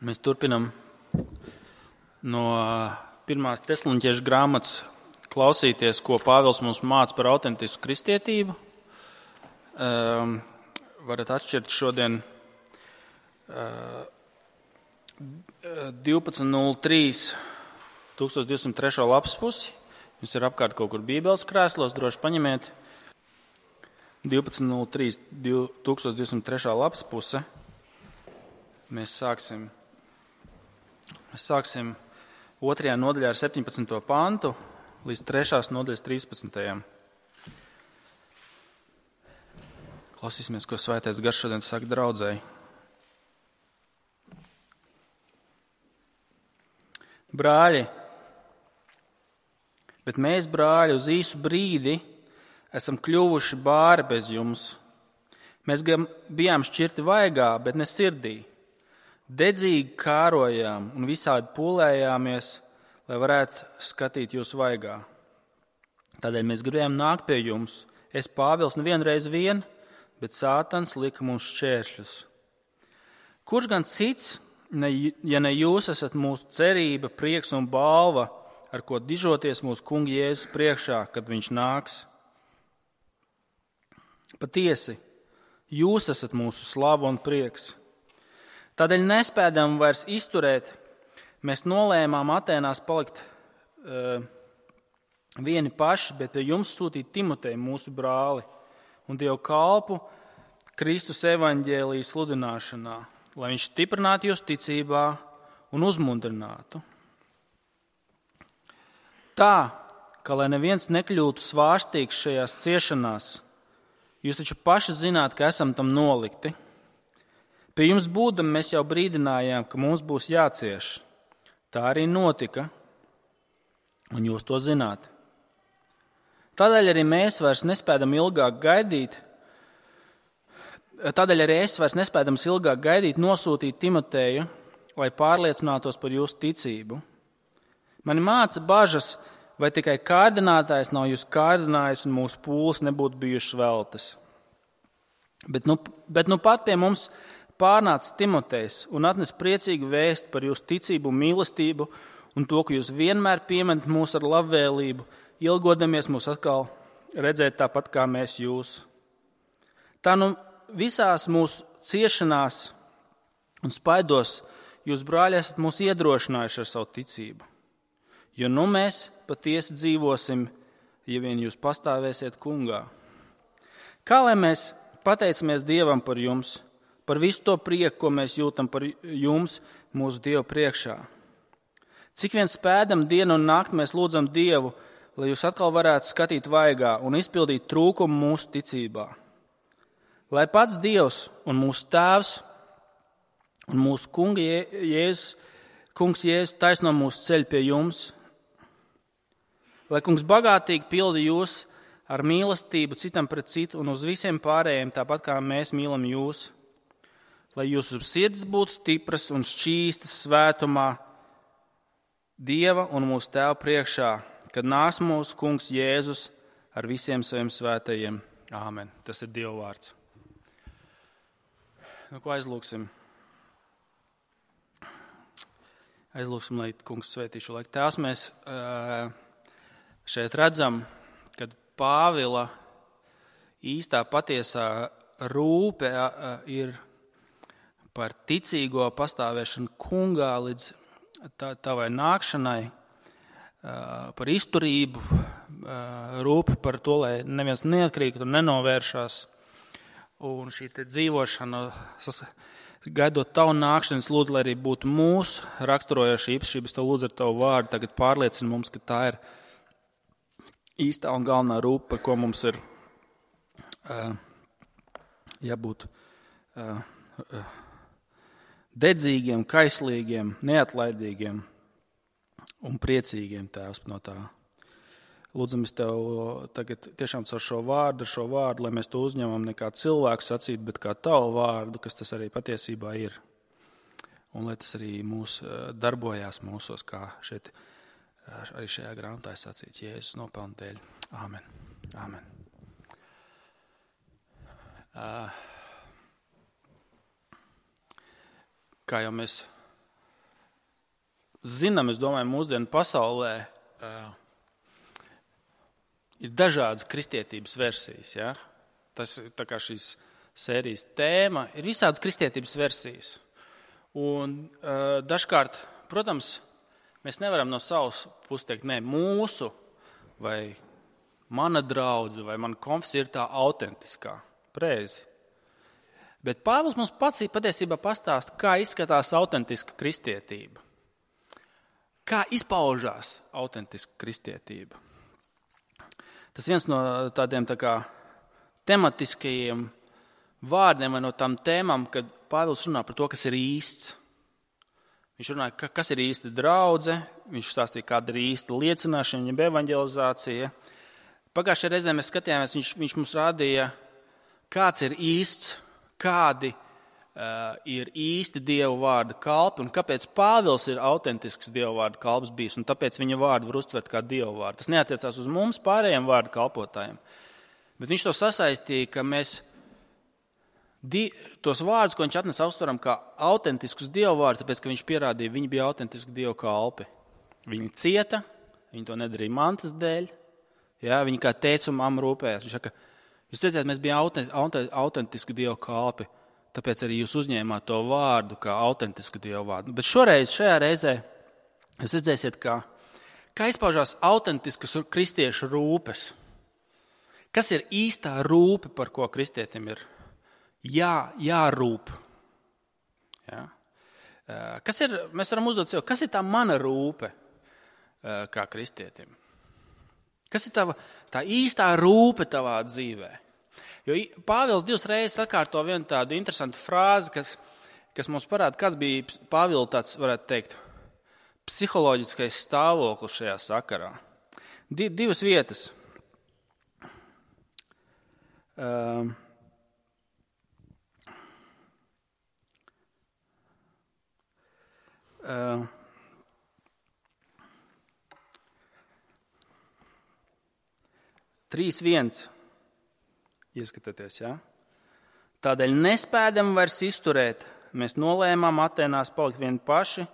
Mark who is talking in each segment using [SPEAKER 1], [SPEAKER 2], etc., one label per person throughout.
[SPEAKER 1] Mēs turpinam no 1. Tesaloniķiešu grāmatas klausīties, ko Pāvils mums māca par autentisku kristietību. Varat atšķirt šodien 12.03. 1203. lapas pusi. Jums ir apkārt kaut kur bībeles krēslos, droši paņemiet. 12.03. 1203. lapas puse. Mēs sāksim 2. nodaļā ar 17. pantu līdz 3. nodaļas 13. Klausīsimies, ko Svētais Gars šodien saka draudzēji. Brāļi, bet mēs, brāļi, uz īsu brīdi esam kļuvuši bāri bez jums. Mēs bijām šķirti vaigā, bet ne sirdī. Dedzīgi kārojām un visādi pūlējāmies, lai varētu skatīt jūs vaigā. Tādēļ mēs gribējām nākt pie jums. Es, Pāvils, nevienreiz vien, bet Sātans lika mums šķēršļus. Kurš gan cits, ja ne jūs esat mūsu cerība, prieks un balva, ar ko dižoties mūsu kunga Jēzus priekšā, kad viņš nāks? Patiesi, jūs esat mūsu slava un prieks. Tādēļ nespēdam vairs izturēt, mēs nolēmām Atēnās palikt vieni paši, bet pie jums sūtīt Timoteju, mūsu brāli, un Dievu kalpu Kristus evaņģēlijas sludināšanā, lai viņš stiprinātu jūs ticībā un uzmundrinātu. Tā, ka lai neviens nekļūtu svārstīgs šajās ciešanās, jūs taču paši zināt, ka esam tam nolikti. Pie jums būdam mēs jau brīdinājām, ka mums būs jācieš. Tā arī notika, un jūs to zināt. Tādēļ arī es vairs nespēdam ilgāk gaidīt nosūtīt Timoteju, lai pārliecinātos par jūsu ticību. Mani māca bažas, vai tikai kārdinātājs nav jūs kārdinājis un mūsu pūles nebūtu bijušas veltas. Bet nu pat pie mums pārnāca Timotejs un atnes priecīgu vēstu par jūsu ticību un mīlestību un to, ka jūs vienmēr pieminat mūs ar labvēlību, ilgodamies mūs atkal redzēt tāpat kā mēs jūs. Tā nu visās mūsu ciešanās un spaidos jūs, brāļi, esat mūs iedrošinājuši ar savu ticību. Jo nu mēs patiesi dzīvosim, ja vien jūs pastāvēsiet kungā. Kā lai mēs pateicamies Dievam par jums, par visu to prieku, ko mēs jūtam par jums mūsu Dievu priekšā. Cik vien spēdam dienu un nakti mēs lūdzam Dievu, lai jūs atkal varētu skatīt vaigā un izpildīt trūkumu mūsu ticībā. Lai pats Dievs un mūsu Tēvs un mūsu kungs Jēzus taisno mūsu ceļu pie jums, lai kungs bagātīgi pildi jūs ar mīlestību citam pret citu un uz visiem pārējiem, tāpat kā mēs mīlam jūs, lai jūsu sirds būtu stipras un šķīstas svētumā Dieva un mūsu Tēva priekšā, kad nāks mūsu kungs Jēzus ar visiem saviem svētajiem. Āmen. Tas ir Dieva vārds. Nu, ko aizlūksim? Aizlūksim, lai kungs svētī šo laiku. Tēvs, mēs šeit redzam, kad Pāvila īstā patiesā rūpe ir par ticīgo pastāvēšanu kungā līdz tavai nākšanai, par izturību, rūpe par to, lai neviens neatkrīt un nenovēršās. Un šī te dzīvošana, gaidot tavu nākšanu, es lūdzu, lai arī būtu mūsu raksturojoša īpašības, tev lūdzu ar tavu vārdu, tagad pārliecina mums, ka tā ir īstā un galvenā rūpe, par ko mums ir jābūt dedzīgiem, kaislīgiem, neatlaidīgiem un priecīgiem, Tēvs, no tā. Lūdzamies Tev tagad tiešām ar šo vārdu, lai mēs to uzņemam ne kā cilvēku sacīt, bet kā Tavu vārdu, kas tas arī patiesībā ir. Un lai tas arī darbojās mūsos, kā šeit arī šajā grāmatā sacīts, Jēzus nopelna dēļ. Āmen. Āmen. Kā jau mēs zinām, es domāju, mūsdienu pasaulē ir dažādas kristietības versijas. Ja? Tas tā kā šīs sērijas tēma ir visādas kristietības versijas. Un dažkārt, protams, mēs nevaram no savas puses teikt, nē, mūsu vai mana draudze vai mana konfesija ir tā autentiskā, preizi. Bet Pāvils mums pats patiesībā pastāsta, kā izskatās autentiska kristietība. Kā izpaužās autentiska kristietība. Tas viens no tādiem tā kā tematiskajiem vārdiem vai no tām tēmām, kad Pāvils runā par to, kas ir īsts. Viņš runāja, kas ir īsta draudze, viņš stāstīja, kāda ir īsta liecināšana, jeb evanģelizācija. Pagājušajā reizē mēs skatījāmies, viņš mums rādīja, kāds ir īsts, kādi ir īsti Dieva vārda kalpi un kāpēc Pāvils ir autentisks Dieva vārda kalps bijis un tāpēc viņa vārdu var uztvert kā Dieva vārdu. Tas neatiecās uz mums pārējiem vārdu kalpotājiem, bet viņš to sasaistīja, ka mēs tos vārdus, ko viņš atnesa, uztveram kā autentiskus Dieva vārdus, tāpēc, ka viņš pierādīja, viņi bija autentiski Dieva kalpi. Viņi cieta, viņi to nedarīja mantas dēļ, ja, viņi kā tēvs un mamma rūpējās. Viņš saka, jūs redzēt, mēs bijām autentiski Dieva kalpi, tāpēc arī jūs uzņēmāt to vārdu kā autentisku Dieva vārdu. Bet šajā reizē jūs redzēsiet, kā izpaužās autentiskas kristiešu rūpes. Kas ir īstā rūpe, par ko kristietim ir jārūp? Ja? Mēs varam uzdot sev, kas ir tā mana rūpe kā kristietim? Kas ir tā īstā rūpe tavā dzīvē? Jo Pāvils 2 reizes atkārto vienu tādu interesantu frāzi, kas mums parāda, kāds bija Pāvila tāds, varētu teikt, psiholoģiskais stāvoklis šajā sakarā. Divas vietas. Trīs viens. Ieskatieties, ja? Tādēļ nespēdam vairs izturēt. Mēs nolēmām Atēnās palikt vieni paši,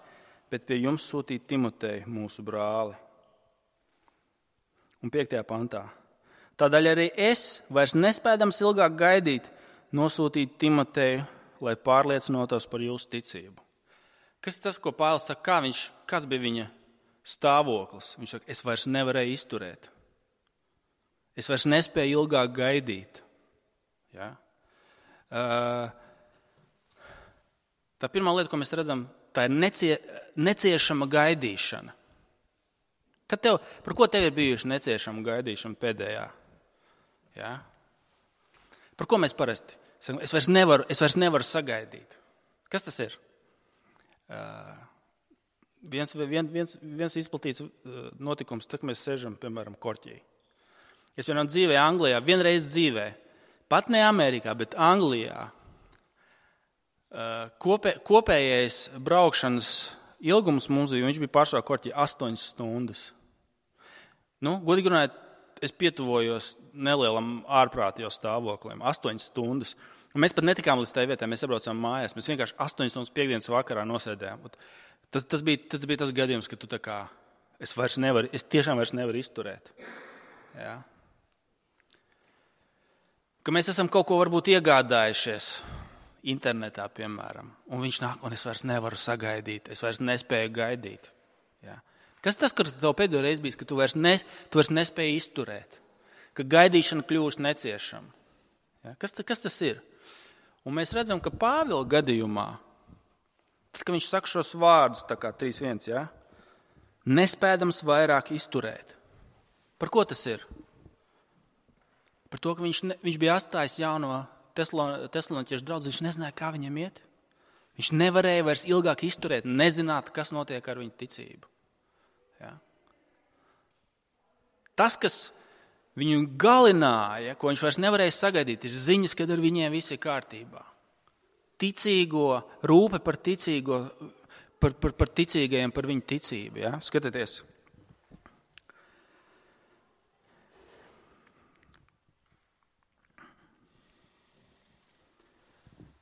[SPEAKER 1] bet pie jums sūtīt Timoteju, mūsu brāli. Un 5. pantā. Tādēļ arī es vairs nespēdams ilgāk gaidīt, nosūtīt Timoteju, lai pārliecinotos par jūsu ticību. Kas ir tas, ko Pāvils saka, kāds bija viņa stāvoklis? Viņš saka, es vairs nevarēju izturēt. Es vairs nespēju ilgāk gaidīt. Ja? Tā pirmā lieta, ko mēs redzam, tā ir neciešama gaidīšana. Par ko tev ir bijuši neciešama gaidīšana pēdējā? Ja? Par ko mēs parasti sakam? Es vairs nevaru sagaidīt. Kas tas ir? Viens izplatīts notikums, tad mēs sēžam, piemēram, korķī. Es, piemēram, dzīvēju Anglijā, vienreiz dzīvē, pat ne Amerikā, bet Anglijā. Kopējais braukšanas ilgums mums bija, viņš bija pārsvarā korķī 8 stundas. Godīgi runājot, es pietuvojos nelielam ārprātīgi stāvoklim, 8 stundas. Un mēs pat netikām līdz tai vietai, mēs sabraucām mājās, mēs vienkārši 8 stundas piekdienas vakarā nosēdējām. Tas bija tas gadījums, ka tu tā kā, es tiešām vairs nevaru izturēt. Ja? Ka mēs esam kaut ko varbūt iegādājušies internetā, piemēram, un viņš nāk, un es vairs nevaru sagaidīt, es vairs nespēju gaidīt. Ja? Kas tas, kas tev pēdējo reizi bijis, ka tu vairs nespēji izturēt, ka gaidīšana kļūst neciešama? Ja? Kas tas ir? Un mēs redzam, ka Pāvila gadījumā, tad, kad viņš saka šos vārdus, tā kā 3.1, ja? Nespēdams vairāk izturēt. Par ko tas ir? Par to, ka viņš bija atstājis jauno tesaloniķiešu draudzi, viņš nezināja, kā viņam iet. Viņš nevarēja vairs ilgāk izturēt, nezināt, kas notiek ar viņu ticību. Ja? Tas, kas viņu galināja, ko viņš vairs nevarēja sagaidīt, ir ziņas, kad ar viņiem viss ir kārtībā. Rūpe par ticīgo, par ticīgajiem, par viņu ticību. Ja? Skatieties.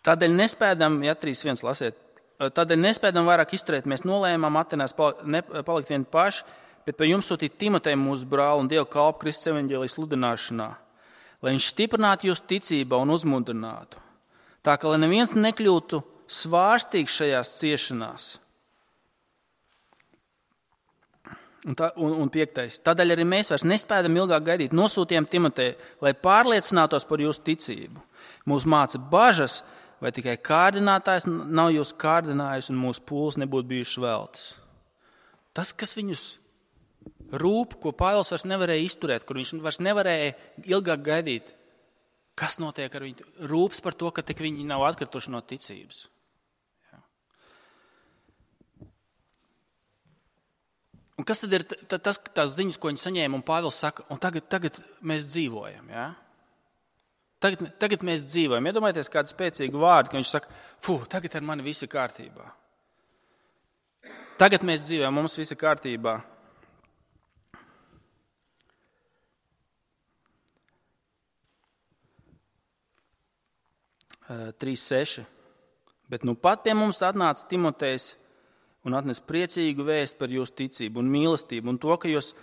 [SPEAKER 1] Tādēļ nespēdam, ja 3.1 lasiet, tādēļ nespēdam vairāk izturēt. Mēs nolēmām Atenās palikt vieni paši, bet pie jums sūtīt Timoteju mūsu brāli un Dievu kalpu Kristus evaņģēlijas sludināšanā, lai viņš stiprinātu jūs ticībā un uzmundrinātu. Tā ka lai neviens nekļūtu svārstīgs šajās ciešanās. Un 5. Tādēļ arī mēs vairs nespējam ilgāk gaidīt. Nosūtījām Timoteju, lai pārliecinātos par jūsu ticību. Mūs māca bažas, vai tikai kārdinātājs nav jūs kārdinājis un mūsu pūles nebūtu bijušas veltas. Tas, kas viņus rūp, ko Pāvils vairs nevarēja izturēt, kur viņš vairs nevarēja ilgāk gaidīt, kas notiek ar viņu, rūps par to, ka tik viņi nav atkrituši no ticības. Un kas tad ir tās ziņas, ko viņi saņēma, un Pāvils saka, un tagad mēs dzīvojam, ja? Tagad mēs dzīvojam. Iedomājieties kādu spēcīgu vārdu, ka viņš saka, tagad ar mani viss ir kārtībā. Tagad mēs dzīvojam, mums viss ir kārtībā. Uh, 3.6. Bet nu pat pie mums atnāca Timotejs un atnes priecīgu vēstu par jūsu ticību un mīlestību un to, ka jūs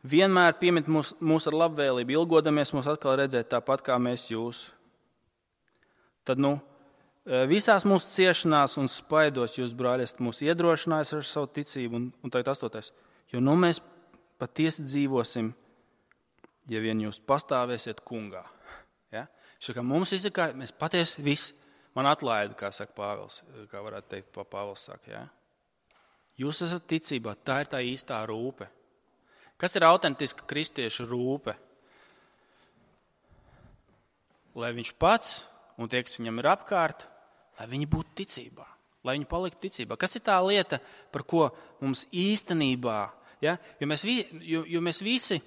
[SPEAKER 1] vienmēr piemet mūs ar labvēlību, ilgodamies mūs atkal redzēt tāpat, kā mēs jūs. Tad, visās mūsu ciešanās un spaidos jūs, brāļi, esat mūs iedrošinājis ar savu ticību. Un tagad 8. Jo mēs patiesi dzīvosim, ja vien jūs pastāvēsiet kungā. Ja? Šakā mums viss ir kā, mēs patiesi visi, man atlaida, kā saka Pāvils, kā varētu teikt, Pāvils saka, ja? Jūs esat ticībā, tā ir tā īstā rūpe. Kas ir autentiska kristiešu rūpe? Lai viņš pats un tie, kas viņam ir apkārt, lai viņi būtu ticībā, lai viņi paliktu ticībā. Kas ir tā lieta, par ko mums īstenībā, ja? Jo mēs visi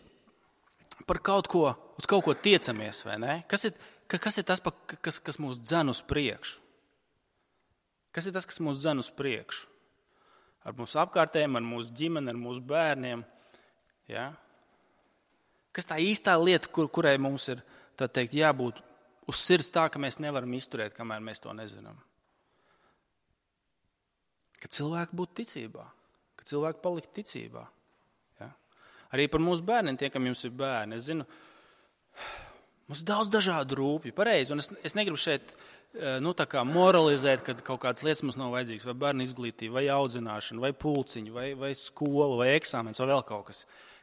[SPEAKER 1] par kaut ko, uz kaut ko tiecamies, vai ne? Kas ir tas, kas mūs dzen uz priekšu? Kas ir tas, kas mūs dzen uz priekšu? Ar mūsu apkārtējiem, ar mūsu ģimeni, ar mūsu bērniem. Ja? Kas tā īstā lieta, kurai mums ir tā teikt, jābūt uz sirds tā, ka mēs nevaram izturēt, kamēr mēs to nezinām? Ka cilvēki būtu ticībā, ka cilvēki palikt ticībā. Ja? Arī par mūsu bērniem, tie, kam jums ir bērni. Es zinu, mums ir daudz dažādu rūpju, pareizi, un es negribu šeit tā kā moralizēt, ka kaut kādas lietas mums nav vajadzīgas, vai bērnu izglītība, vai audzināšana, vai pulciņi, vai skola, vai eksāmens, vai vēl kaut kas.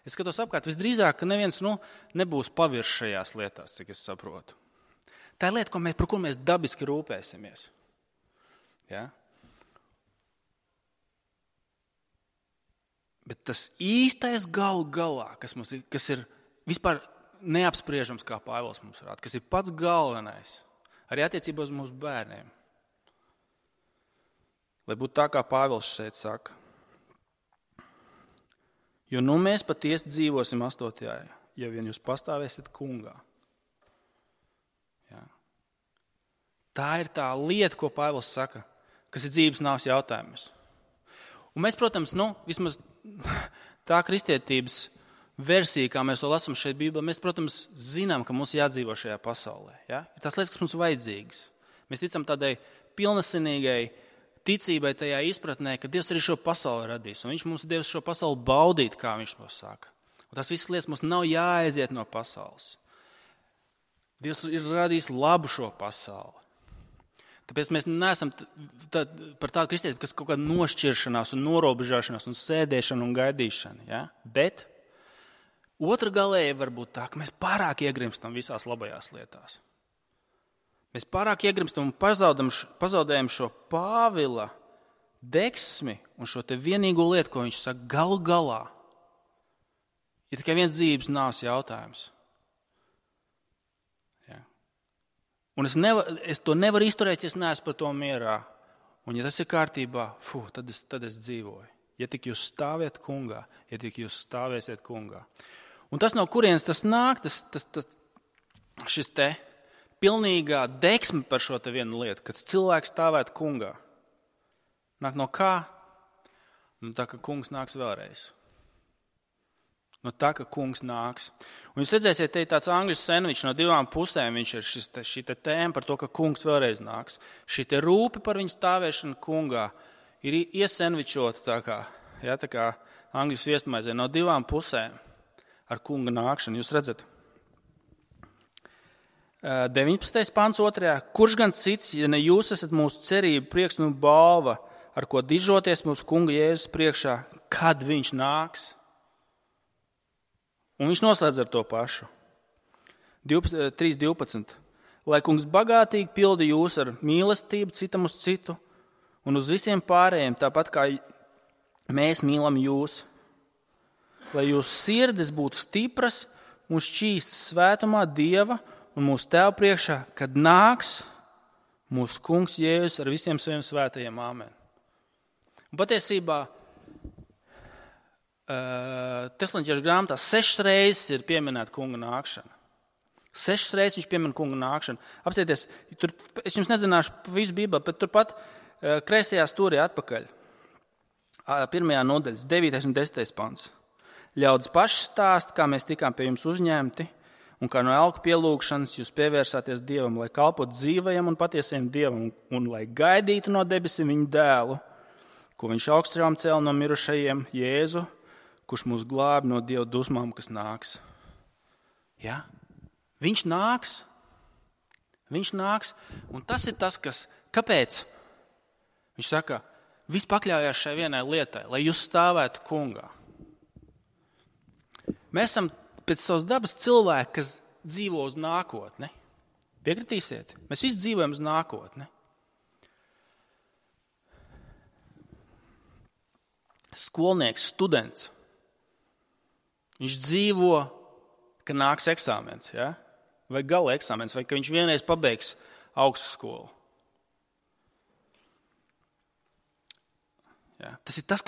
[SPEAKER 1] Es skatos apkārt, visdrīzāk, ka neviens nebūs pavirš šajās lietās, cik es saprotu. Tā ir lieta, par ko mēs dabiski rūpēsimies. Ja? Bet tas īstais galā, kas ir vispār neapspriežams, kā Pāvils mums rāda, kas ir pats galvenais, arī attiecībā uz mūsu bērniem. Lai būtu tā, kā Pāvils šeit saka. Jo mēs patiesi dzīvosim 8. ja vien jūs pastāvēsiet kungā. Ja. Tā ir tā lieta, ko Pāvils saka, kas ir dzīves nāves jautājums. Un mēs, protams, vismaz tā kristietības versija, kā mēs to lasām šeit Bībelē, mēs, protams, zinām, ka mums jādzīvo šajā pasaulē. Ja? Ir tās lietas, kas mums vajadzīgas. Mēs ticam tādai pilnasinīgai ticībai tajā izpratnē, ka Dievs arī šo pasauli radīs. Un viņš mums devis šo pasauli baudīt, kā viņš to saka. Un tās visas lietas mums nav jāaiziet no pasaules. Dievs ir radījis labu šo pasauli. Tāpēc mēs neesam par tādu kristietību, kas kaut kāda nošķiršanās un norobežāšanās un sēdēšana un gaidīšana. Ja? Bet otra galēja var būt tā, ka mēs pārāk iegrimstam visās labajās lietās. Mēs pārāk iegrimstam un pazaudējam šo Pāvila deksmi un šo te vienīgo lietu, ko viņš saka, galu galā. Ir tikai viens dzīves nāves jautājums. Ja. Un es to nevaru izturēt, ja es neesmu par to mierā. Un ja tas ir kārtībā, tad es dzīvoju. Ja tik jūs stāviet kungā, ja tik jūs stāvēsiet kungā. Un tas, no kurienes tas nāk, šis te pilnīgā deksme par šo te vienu lietu, kad cilvēks stāvētu kungā. Nāk no kā? Tā, ka kungs nāks vēlreiz. no tā, ka kungs nāks. Un jūs redzēsiet, te ir tāds angļu sandvičs no divām pusēm. Viņš ir šī tēma par to, ka kungs vēlreiz nāks. Šī te rūpe par viņu stāvēšanu kungā ir iesandvičota tā kā angļu sviestmaizē no divām pusēm ar kunga nākšanu. Jūs redzat? 19. pants 2. Kurš gan cits, ja ne jūs esat mūsu cerība, prieks un balva, ar ko dižoties mūsu kunga Jēzus priekšā, kad viņš nāks? Un viņš noslēdz ar to pašu. 3.12. Lai kungs bagātīgi pildi jūs ar mīlestību citam uz citu un uz visiem pārējiem, tāpat kā mēs mīlam jūs. Lai jūsu sirdis būtu stipras un šķīstas svētumā Dieva un mūsu Tēva priekšā, kad nāks mūsu kungs Jēzus ar visiem saviem svētajiem. Āmen. Un patiesībā Tesaloņķiešu grāmatā 6 reizes ir pieminēta kunga nākšana. 6 reizes viņš piemina kunga nākšanu. Apstieties, tur, es jums nezināšu visu Bībeli, bet turpat kreisajā stūrī atpakaļ. 1. nodaļas, 9. un 10. pants. Ļaudis paši stāsta, kā mēs tikām pie jums uzņemti, un kā no elku pielūgšanas jūs pievērsāties Dievam, lai kalpotu dzīvajam un patiesajam Dievam, un lai gaidītu no debesīm viņu dēlu, ko viņš augstām cēla no mirušajiem, Jēzu, kurš mūs glābi no Dieva dusmām, kas nāks. Ja? Viņš nāks. Viņš nāks. Un tas ir tas, kāpēc viņš saka, viss pakļaujās šai vienai lietai, lai jūs stāvētu kungā. Mēs esam pēc savas dabas cilvēki, kas dzīvo uz nākotni. Piekritīsiet? Mēs visi dzīvojam uz nākotni. Skolnieks, students. Viņš dzīvo, ka nāks eksāmens, ja? Vai gala eksāmens, vai ka viņš vienreiz pabeigs augstskolu. Ja? Tas ir tas,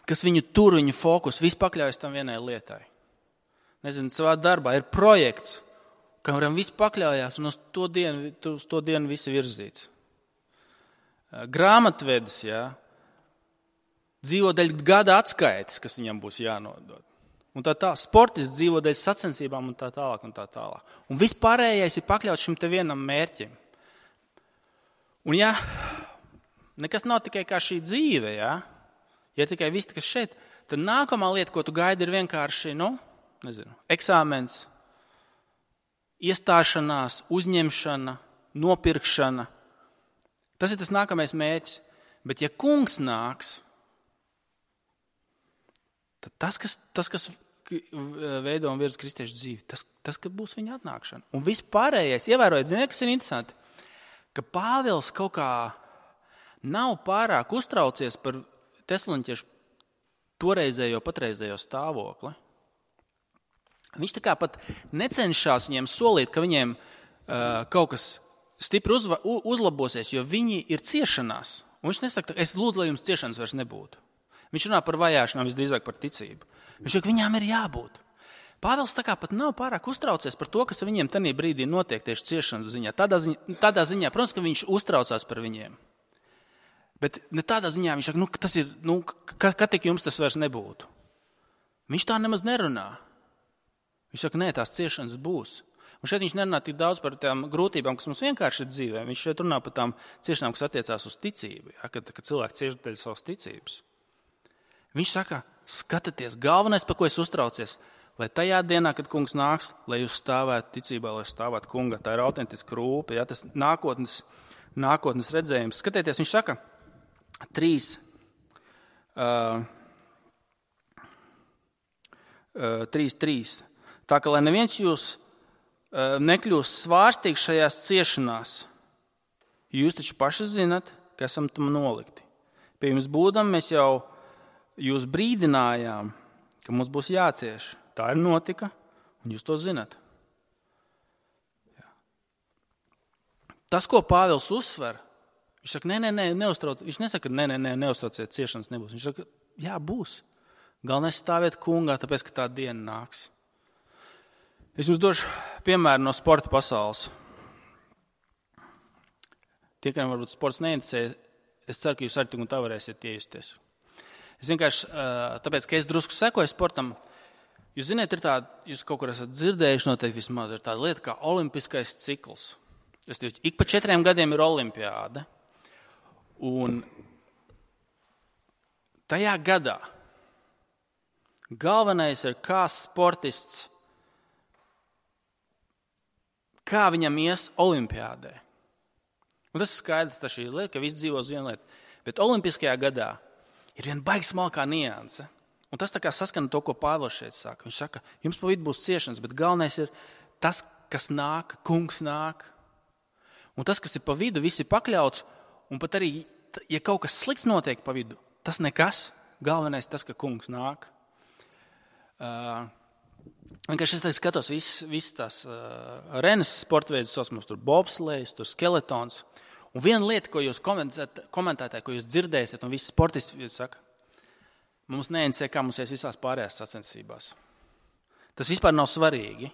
[SPEAKER 1] kas viņu tur, viņu fokus, viss pakļaujas tam vienai lietai. Nezinu, savā darbā ir projekts, kuram viss pakļaujās un uz to dienu visi virzīts. Grāmatvedis, ja? Dzīvo dēļ gada atskaites, kas viņam būs jānodod. Un tā sportists dzīvo dēļ sacensībām un tā tālāk un tā tālāk. Un viss pārējais ir pakļauts šim te vienam mērķim. Un ja nekas nav tikai kā šī dzīve, ja tikai viss, kas šeit, tad nākamā lieta, ko tu gaidi, ir vienkārši, eksāmens, iestāšanās, uzņemšana, nopirkšana. Tas ir tas nākamais mērķis. Bet ja kungs nāks, tad tas, kas veido un virza kristiešu dzīvi, tas, ka būs viņa atnākšana. Un viss pārējais, ievērojiet, ziniet, kas ir interesanti, ka Pāvils kaut kā nav pārāk uztraucies par Tesaloņķiešu patreizējo stāvokli. Viņš tā kā pat necenšas viņiem solīt, ka viņiem kaut kas stipri uzlabosies, jo viņi ir ciešanās. Un viņš nesaka, es lūdzu, lai jums ciešanas vairs nebūtu. Viņš runā par vajāšanām, visdrīzāk par ticību. Viņš saka, viņām ir jābūt. Pāvils tā kā pat nav pārāk uztraucies par to, kas viņiem tajā brīdī notiek tieši ciešanas ziņā. Tādā ziņā, protams, ka viņš uztraucās par viņiem. Bet ne tādā ziņā viņš saka, tas ir, kad tik jums tas vairs nebūtu. Viņš tā nemaz nerunā. Viņš saka, nē, tās ciešanas būs. Un šeit viņš nerunā tik daudz par tām grūtībām, kas mums vienkārši ir dzīvē. Viņš šeit runā par tām ciešanām, kas attiecās uz ticību, ja, kad cilvēki cieš dēļ savas ticības. Viņš saka, skatieties, galvenais, par ko es uztraucies, lai tajā dienā, kad kungs nāks, lai jūs stāvētu ticībā, lai stāvētu kunga. Tā ir autentiska rūpe, ja, tas nākotnes redzējums. Skatieties, viņš saka, 3.3. Tā ka, lai neviens jūs nekļūst svārstīgs šajās ciešanās, jūs taču paši zinat, ka esam tam nolikti. Pie jums būdam, mēs jau jūs brīdinājām, ka mums būs jācieš. Tā ir notika, un jūs to zinat. Jā. Tas, ko Pāvils uzsver, viņš saka, neuztrauc. Viņš nesaka, neuztrauciet, ciešanas nebūs. Viņš saka, jā, būs. Galvenais stāvēt kungā, tāpēc, ka tā diena nāks. Es jums došu piemēru no sporta pasaules. Tie, kam varbūt sports neinteresē, es ceru, ka jūs arī tik un tā varēsiet iejusties. Es vienkārši, tāpēc, ka es drusku sekoju sportam, jūs ziniet, ir tāda, jūs kaut kur esat dzirdējuši noteikti vismaz, ir tāda lieta kā olimpiskais cikls. Ik pa 4 gadiem ir olimpiāde. Un tajā gadā galvenais ir, kā sportists, kā viņam ies olimpiādē. Un tas ir skaidrs, tas ir lieta, ka viss dzīvo uz vienu lietu. Bet olimpiskajā gadā ir viena baigi smalkā nianse. Un tas tā kā saskana to, ko Pāvils šeit saka. Viņš saka, jums pa vidu būs ciešanas, bet galvenais ir tas, kas nāk, kungs nāk. Un tas, kas ir pa vidu, viss ir pakļauts. Un pat arī, ja kaut kas slikts notiek pa vidu, tas nekas. Galvenais tas, ka kungs nāk. Vienkārši es skatos viss tās renes sportveidus, mums tur bobslejs, tur skeletons. Un viena lieta, ko jūs komentētājat, ko jūs dzirdēsiet, un visi sportisti saka, mums neinteresē, kā mums ies visās pārējās sacensībās. Tas vispār nav svarīgi.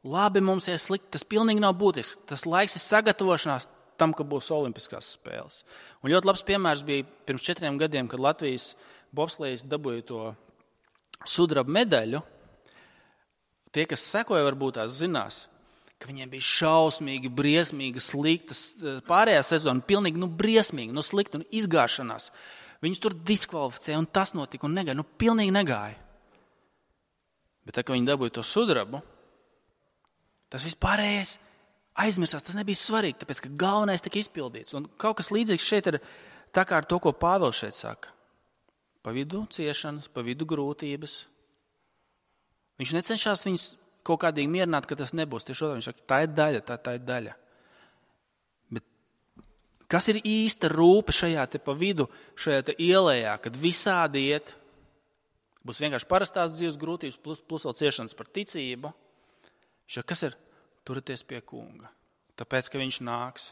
[SPEAKER 1] Labi, mums ies slikti, tas pilnīgi nav būtiski. Tas laiks ir sagatavošanās tam, ka būs olimpiskās spēles. Un ļoti labs piemērs bija pirms 4 gadiem, kad Latvijas bobslejs dabūja to sudraba medaļu. Tie, kas sekoja, varbūt tās zinās, ka viņiem bija šausmīgi, briesmīgi, sliktas pārējā sezona, pilnīgi briesmīgi, slikta un izgāšanās. Viņus tur diskvalificēja, un tas notika, un negāja, pilnīgi negāja. Bet tā, ka viņi dabūja to sudrabu, tas vispārējais aizmirsās, tas nebija svarīgi, tāpēc, ka galvenais tika izpildīts. Un kaut kas līdzīgs šeit ir tā kā ar to, ko Pāvils šeit saka. Pa vidu ciešanas, pa vidu grūtības. Viņš necenšas viņus kaut kādīgi mierināt, ka tas nebūs. Tieši otrādi viņš saka, tā ir daļa, tā ir daļa. Bet kas ir īsta rūpe šajā te pa vidu, šajā te ielējā, kad visādi iet, būs vienkārši parastās dzīves grūtības, plus vēl ciešanas par ticību. Kas ir? Turieties pie kunga. Tāpēc, ka viņš nāks.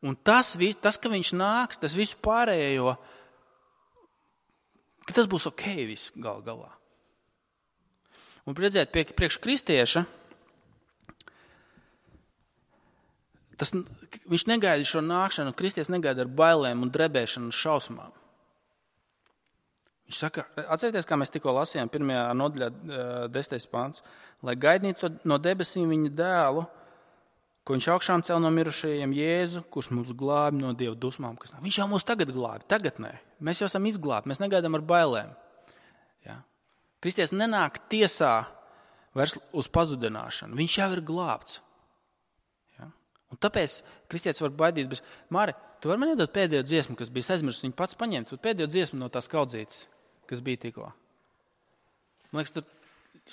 [SPEAKER 1] Un tas, ka viņš nāks, tas visu pārējo, ka tas būs ok viss galā. Un redzēt, priekš kristieša, viņš negaida šo nākšanu, kristietis negaida ar bailēm un drebēšanu un šausmām. Viņš saka, atcerieties, kā mēs tikko lasījām 1. nodaļā 10. pants, lai gaidītu no debesīm viņa dēlu, ko viņš augšām cel no mirušajiem, Jēzu, kurš mūs glābi no Dieva dusmām. Viņš jau mūs tagad glābi, tagad nē. Mēs jau esam izglābi, mēs negaidām ar bailēm. Ja? Kristietis nenāk tiesā vairs uz pazudināšanu. Viņš jau ir glābts. Ja? Un tāpēc kristietis var baidīt. Bet, Māri, tu vari man iedot pēdējo dziesmu, kas bija aizmirsts, viņu pats paņemt. Pēdējo dziesmu no tās kaudzītes, kas bija tikko. Man liekas, tur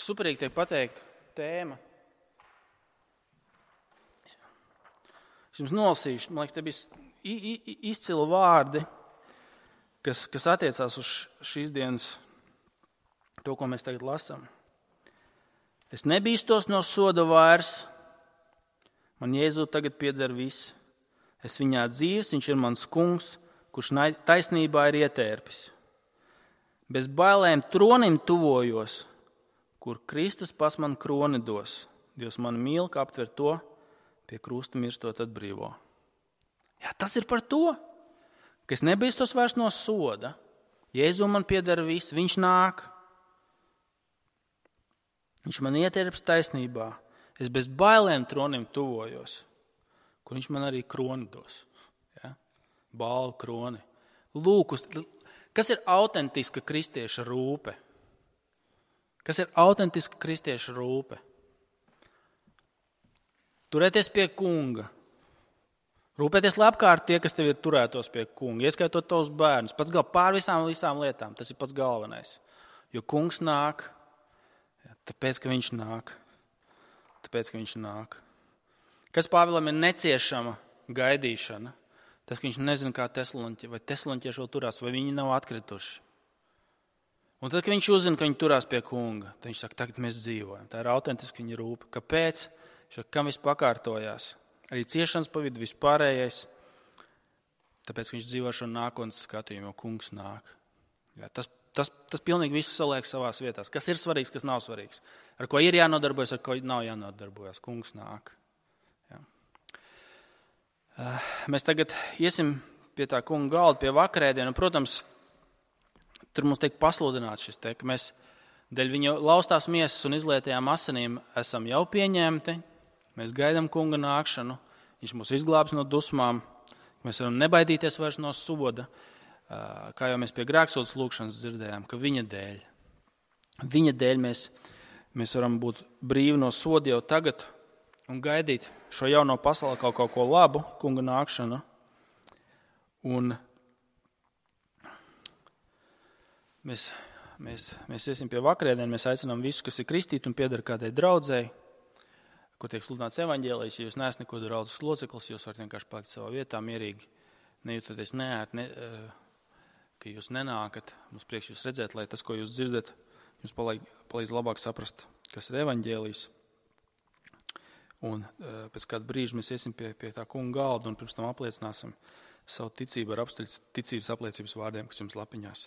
[SPEAKER 1] superīgi tiek pateikt tēma. Es jums nolasīšu, man liekas, te bija izcili vārdi, kas attiecās uz šīs dienas to, ko mēs tagad lasām. Es nebīstos no soda vairs, man Jēzu tagad pieder viss. Es viņā dzīves, viņš ir mans kungs, kurš taisnībā ir ietērpis. Bez bailēm tronim tuvojos, kur Kristus pas man kroni dos. Dievs man mīl, ka aptver to, pie krusta mirstot atbrīvo. Jā, tas ir par to, ka es nebīstos vairs no soda. Jēzu man pieder viss, viņš nāk. Viņš man ietērps taisnībā. Es bez bailēm tronim tuvojos, kur viņš man arī kroni dos. Ja? Balvu kroni. Lūk, kas ir autentiska kristieša rūpe? Kas ir autentiska kristieša rūpe? Turēties pie kunga. Rūpēties, lai apkārt tie, kas tev ir turētos pie kunga, ieskaitot tavus bērnus. Pats pār visām lietām, tas ir pats galvenais. Jo kungs nāk, tāpēc, ka viņš nāk. Tāpēc, ka viņš nāk. Kas Pāvilam ir neciešama gaidīšana? Tas, ka viņš nezina, kā tesaloniķieši vēl turās, vai viņi nav atkrituši. Un tad, kad viņš uzzina, ka viņi turās pie kunga, tad viņš saka, tagad mēs dzīvojam. Tā ir autentiska viņa rūpe. Kāpēc? Kam viss pakārtojās? Arī ciešanas pa vidu vispārējais. Tāpēc, ka viņš dzīvo šo nākotnes skatījumu, jo kungs nāk. Jā, tas pilnīgi visu saliek savās vietās. Kas ir svarīgs, kas nav svarīgs. Ar ko ir jānodarbojas, ar ko nav jānodarbojas. Kungs nāk. Jā. Mēs tagad iesim pie tā kunga galda, pie vakarēdienu, un, protams, tur mums tiek pasludināts šis te, ka mēs dēļ viņa laustās miesas un izlietajām asinīm esam jau pieņemti, mēs gaidām kunga nākšanu, viņš mūs izglābs no dusmām, mēs varam nebaidīties vairs no soda, kā jau mēs pie grēksūdzes lūkšanas dzirdējām, ka viņa dēļ mēs varam būt brīvi no soda jau tagad un gaidīt šo jauno pasauli kaut ko labu, kunga nākšanu. Un mēs iesim pie vakarēdienu, mēs aicinām visus, kas ir kristīti un pieder kādai draudzei, kur tiek sludināts evaņģēlijs. Ja jūs neesat neko draudzes loceklis, jūs varat vienkārši palikt savā vietā mierīgi, nejūtoties neērti, ka jūs nenākat. Mums prieks jūs redzēt, lai tas, ko jūs dzirdat, jums palīdz labāk saprast, kas ir evaņģēlijs. Un pēc kāda brīža mēs iesim pie tā kunga galda un pirms tam apliecināsim savu ticību ar apstuļu ticības apliecības vārdiem, kas jums lapiņās.